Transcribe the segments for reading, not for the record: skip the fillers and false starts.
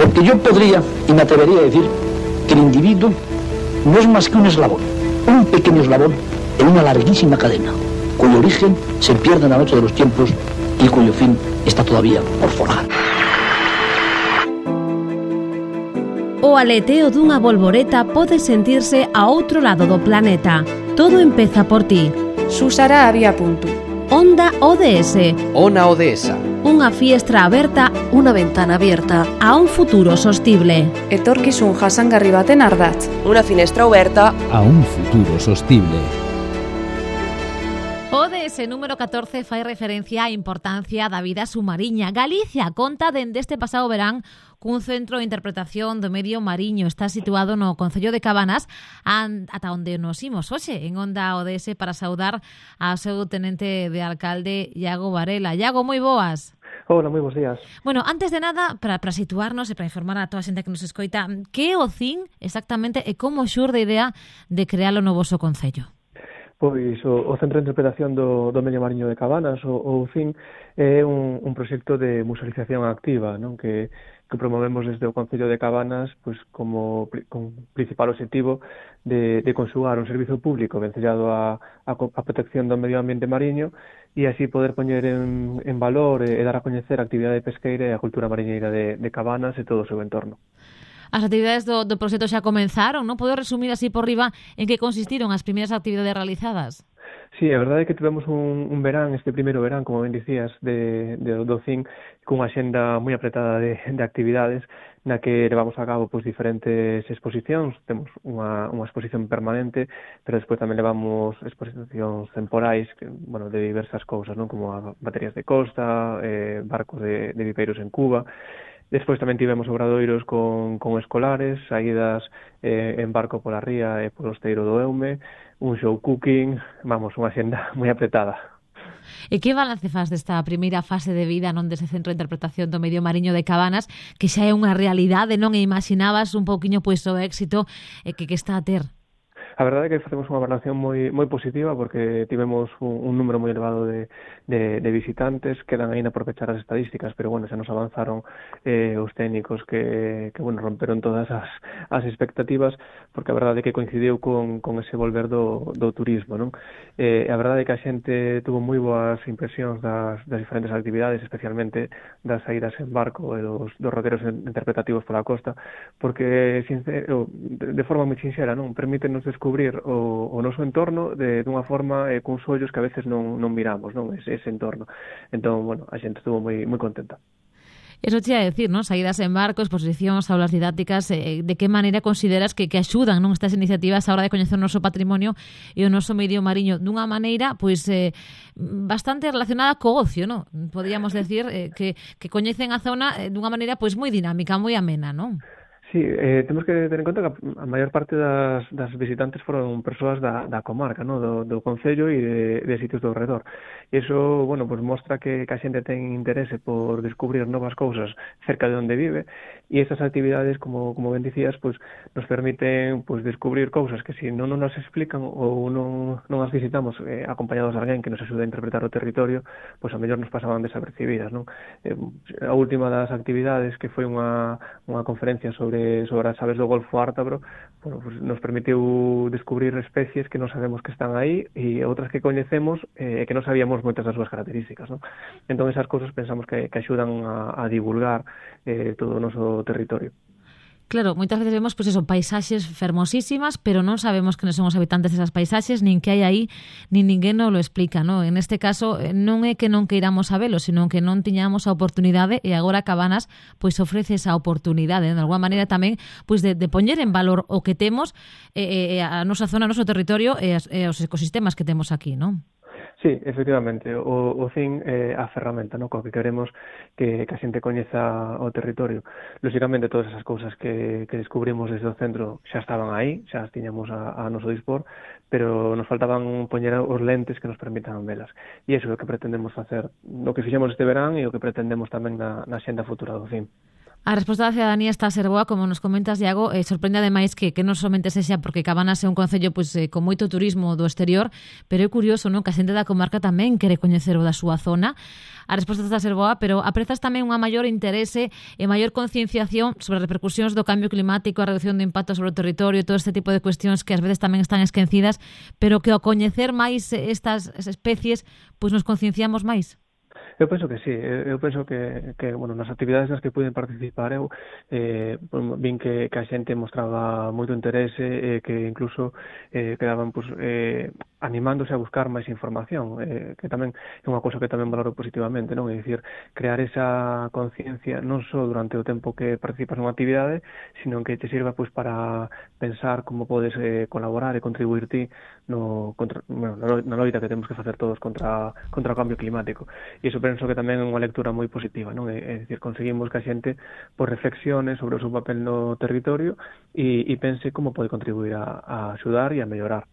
Porque yo podría, y me atrevería a decir, que el individuo no es más que un eslabón, un pequeño eslabón en una larguísima cadena, cuyo origen se pierde en la noche de los tiempos y cuyo fin está todavía por forjar. O aleteo dunha bolboreta pode sentirse a outro lado do planeta. Todo empeza por ti. Susara había punto. Onda ODS. Ona ODS. Unha fiestra aberta, unha ventana abierta a un futuro sostible. Etorkizun jasangarri baten ardatz. Unha finestra aberta a un futuro sostible. ODS número 14 fai referencia á importancia da vida submariña. Galicia conta dende este pasado verán cun centro de interpretación do medio mariño. Está situado no Concello de Cabanas, ata onde nos imos hoxe en Onda ODS para saudar ao seu tenente de alcalde, Iago Varela. Iago, moi boas. Hola, moi bons días. Bueno, antes de nada, para situarnos e para informar a toda a xente que nos escoita, que é o CIN exactamente e como xurde a idea de crealo no voso concello? Pois o Centro de Interpretación do Medio Mariño de Cabanas, o CIN, é un proxecto de musealización activa, non? Que promovemos desde o Concello de Cabanas pois con principal objetivo de conxugar un servizo público vencellado a protección do medio ambiente mariño e así poder poñer en valor e dar a coñecer a actividade pesqueira e a cultura mariñeira de Cabanas e todo o seu entorno. As actividades do proxecto xa comenzaron, non? Podo resumir así por riba en que consistiron as primeiras actividades realizadas? Sí, a verdade é que tivemos un verán, este primeiro verán, como ben dicías, do CIN, cunha xenda moi apretada de actividades, na que levamos a cabo pois diferentes exposicións. Temos unha exposición permanente, pero despois tamén levamos exposicións temporais, de diversas cousas, non? Como baterías de costa, barcos de viveiros en Cuba. Despois tamén tivemos obradoiros con escolares, saídas en barco pola ría e polo esteiro do Eume, un show cooking, unha xenda moi apretada. E que balance faz desta primeira fase de vida non dese Centro de Interpretación do Medio Mariño de Cabanas, que xa é unha realidade, non? E imaginabas un pouquiño pois o éxito que está a ter? A verdade é que facemos unha valoración moi positiva porque tivemos un número moi elevado de visitantes. Quedan aínda por pechar as estadísticas, pero xa nos avanzaron os técnicos que romperon todas as expectativas, porque a verdade é que coincidiu con ese volver do turismo, non? A verdade é que a xente tuvo moi boas impresións das diferentes actividades, especialmente das saídas en barco e dos roteros interpretativos pola costa, porque de forma moi sinxera, non? Permítenos descubrir o noso entorno dunha forma cuns ollos que a veces non miramos, non? Ese entorno. Entón, a xente estuvo moi contenta. Eso te ia decir, non? Saídas en barco, exposicións, aulas didácticas, de que maneira consideras que axudan, non, estas iniciativas a hora de coñecer o noso patrimonio e o noso medio mariño dunha maneira, pois, bastante relacionada co ocio, non? Podríamos decir que coñecen a zona dunha maneira, pois, moi dinámica, moi amena, non? Sí, temos que ter en conta que a maior parte das visitantes foron persoas da comarca, no? do concello e de sitios do redor. E iso, mostra que a xente ten interese por descubrir novas cousas cerca de onde vive, e estas actividades, como ben dicías, nos permiten descubrir cousas que se non nos explican ou non as visitamos acompañados de alguén que nos axude a interpretar o territorio, a mellor nos pasaban desapercibidas, non? A última das actividades, que foi unha conferencia sobre as aves do Golfo Ártabro, nos permitiu descubrir especies que non sabemos que están aí e outras que coñecemos e que non sabíamos moitas das súas características, non? Entón, esas cousas pensamos que axudan a divulgar todo o noso territorio. Claro, moitas veces vemos paisaxes fermosísimas, pero non sabemos quen son os habitantes desas paisaxes, nin que hai aí, nin ninguén nos lo explica, non? En este caso, non é que non queiramos sabelo, sino que non tiñamos a oportunidade e agora Cabanas ofrece esa oportunidade, de alguma maneira tamén, de poñer en valor o que temos, a nosa zona, o noso territorio e os ecosistemas que temos aquí, non? Sí, efectivamente, o CIN é a ferramenta, no? Co que queremos que a xente coñeza o territorio. Lóxicamente, todas esas cousas que descubrimos desde o centro xa estaban aí, xa as tiñamos a noso dispor, pero nos faltaban poñer os lentes que nos permitan velas. E iso é o que pretendemos facer, o que fixemos este verán e o que pretendemos tamén na xenda futura do CIN. A resposta da cidadanía está a ser boa, como nos comentas, Iago, sorprende ademais que non somente sexa porque Cabanas é un concello con moito turismo do exterior, pero é curioso, non, que a xente da comarca tamén quere coñecer o da súa zona. A resposta está a ser boa, pero aprezas tamén unha maior interese e maior concienciación sobre as repercusións do cambio climático, a reducción do impacto sobre o territorio, todo este tipo de cuestións que ás veces tamén están esquecidas, pero que ao coñecer máis estas especies, pois nos concienciamos máis. Eu penso que sí, eu penso que bueno, nas actividades nas que puiden participar eu vin que a xente mostraba moito interese, que incluso quedaban animándose a buscar máis información, que tamén é unha cousa que tamén valoro positivamente, non? É dicir, crear esa conciencia non só durante o tempo que participas nunha actividade, sino que te sirva para pensar como podes colaborar e contribuir ti na loita que temos que facer todos contra o cambio climático. E iso penso que tamén é unha lectura moi positiva, non? É dicir, conseguimos que a xente reflexione sobre o seu papel no territorio e pense como pode contribuir a axudar e a mellorar.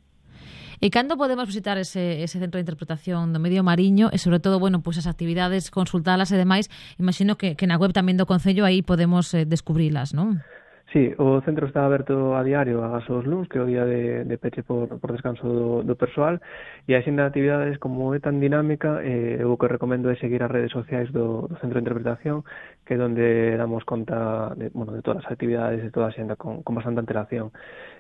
E cando podemos visitar ese centro de interpretación do medio mariño e, sobre todo, bueno, as actividades, consultalas e demais? Imagino que na web tamén do Concello aí podemos descubrilas, non? Sí, o centro está aberto a diario ás os luns, que é o día de peche por descanso do persoal, e a xenda de actividades, como é tan dinámica, o que recomendo é seguir as redes sociais do centro de interpretación, que é onde damos conta de todas as actividades e toda a xenda con bastante antelación.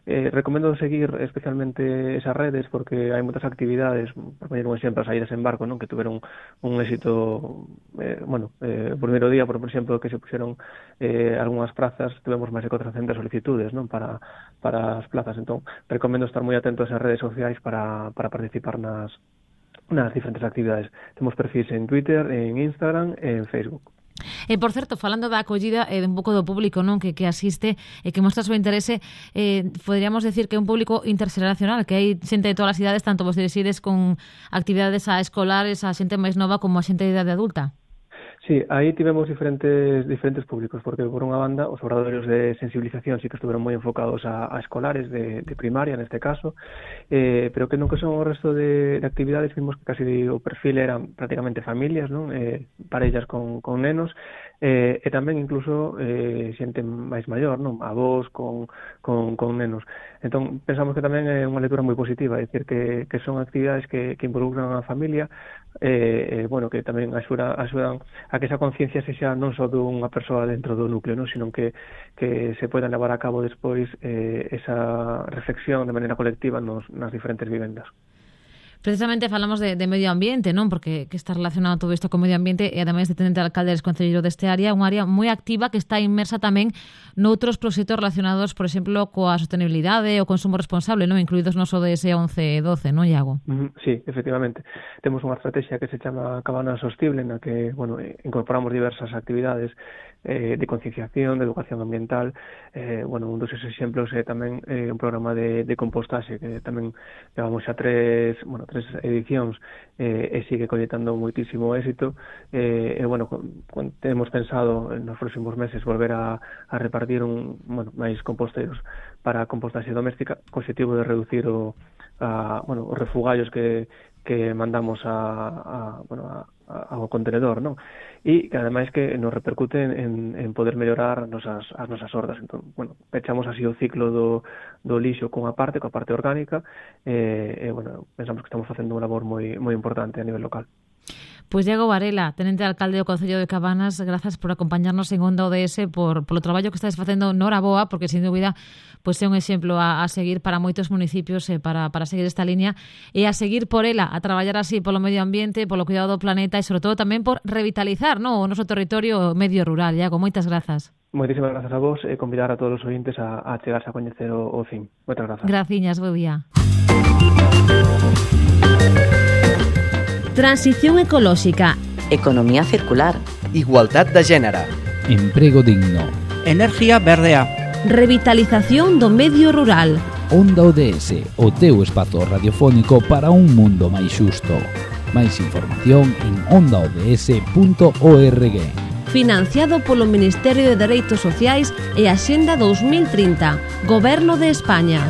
Recomendo seguir especialmente esas redes porque hai moitas actividades, por poñer un exemplo, as saídas en barco, non, que tuveron un éxito, o primeiro día, por exemplo, que se puxeron algunhas prazas, tivemos máis de 400 solicitudes, non, para as plazas. Entón, recomendo estar moi atento a esas redes sociais para participar nas diferentes actividades. Temos perfis en Twitter, en Instagram e en Facebook. E, por certo, falando da acollida un pouco do público, non, que asiste e que mostra o seu interese, poderíamos decir que é un público interxeracional, que hai xente de todas as idades, tanto vos dirixides con actividades a escolares, a xente máis nova como a xente de idade adulta. Sí, aí tivemos diferentes públicos, porque por unha banda os obradoiros de sensibilización sí que estuveron moi enfocados a escolares de primaria neste caso, pero que non que son o resto de actividades vimos que casi o perfil eran prácticamente familias, non? Parellas con nenos, e tamén incluso xente máis maior, non? Avós con nenos. Entón pensamos que tamén é unha lectura moi positiva, é dicir que son actividades que involucran a familia, que tamén axudan a que esa conciencia sexa non só dunha persoa dentro do núcleo, non, sino que se poidan levar a cabo despois esa reflexión de maneira colectiva nas diferentes vivendas. Precisamente falamos de medio ambiente, non? Porque que está relacionado todo isto con medio ambiente e ademais de tenente alcalde e concelleiro deste área, unha área moi activa que está inmersa tamén noutros proxectos relacionados, por exemplo, coa sostenibilidade o consumo responsable, non? Incluídos nos ODS 11 e 12, non, Iago? Sí, efectivamente. Temos unha estrategia que se chama Cabanas Sostible, na que, incorporamos diversas actividades de concienciación, de educación ambiental. Un dos exemplos é tamén un programa de compostaxe que tamén levamos xa tres edicións e sigue colletando moitísimo éxito. Temos pensado nos próximos meses volver a repartir máis composteiros para compostaxe doméstica, co objetivo de reducir os refugallos que mandamos ao contenedor, non? E que ademais que nos repercute en poder mellorar as nosas hordas. Entón, pechamos así o ciclo do lixo coa parte orgánica pensamos que estamos facendo unha labor moi importante a nivel local. Pois Iago Varela, tenente alcalde do Concello de Cabanas, grazas por acompañarnos en Onda ODS, polo traballo que estáis facendo noraboa, porque sin dúbida é un exemplo a seguir para moitos municipios para seguir esta línea e a seguir por ela, a traballar así polo medio ambiente, polo cuidado do planeta e sobre todo tamén por revitalizar o noso territorio medio rural. Iago, moitas grazas. Moitísimas grazas a vos e convidar a todos os ointes a chegarse a coñecer o CIM. Moitas grazas. Graciñas, bo día. Transición ecolóxica, economía circular, igualdad de género, emprego digno, energía verdea, revitalización do medio rural. Onda ODS, o teu espazo radiofónico para un mundo máis xusto. Máis información en ondaods.org. Financiado polo Ministerio de Dereitos Sociais e Axenda 2030, Goberno de España.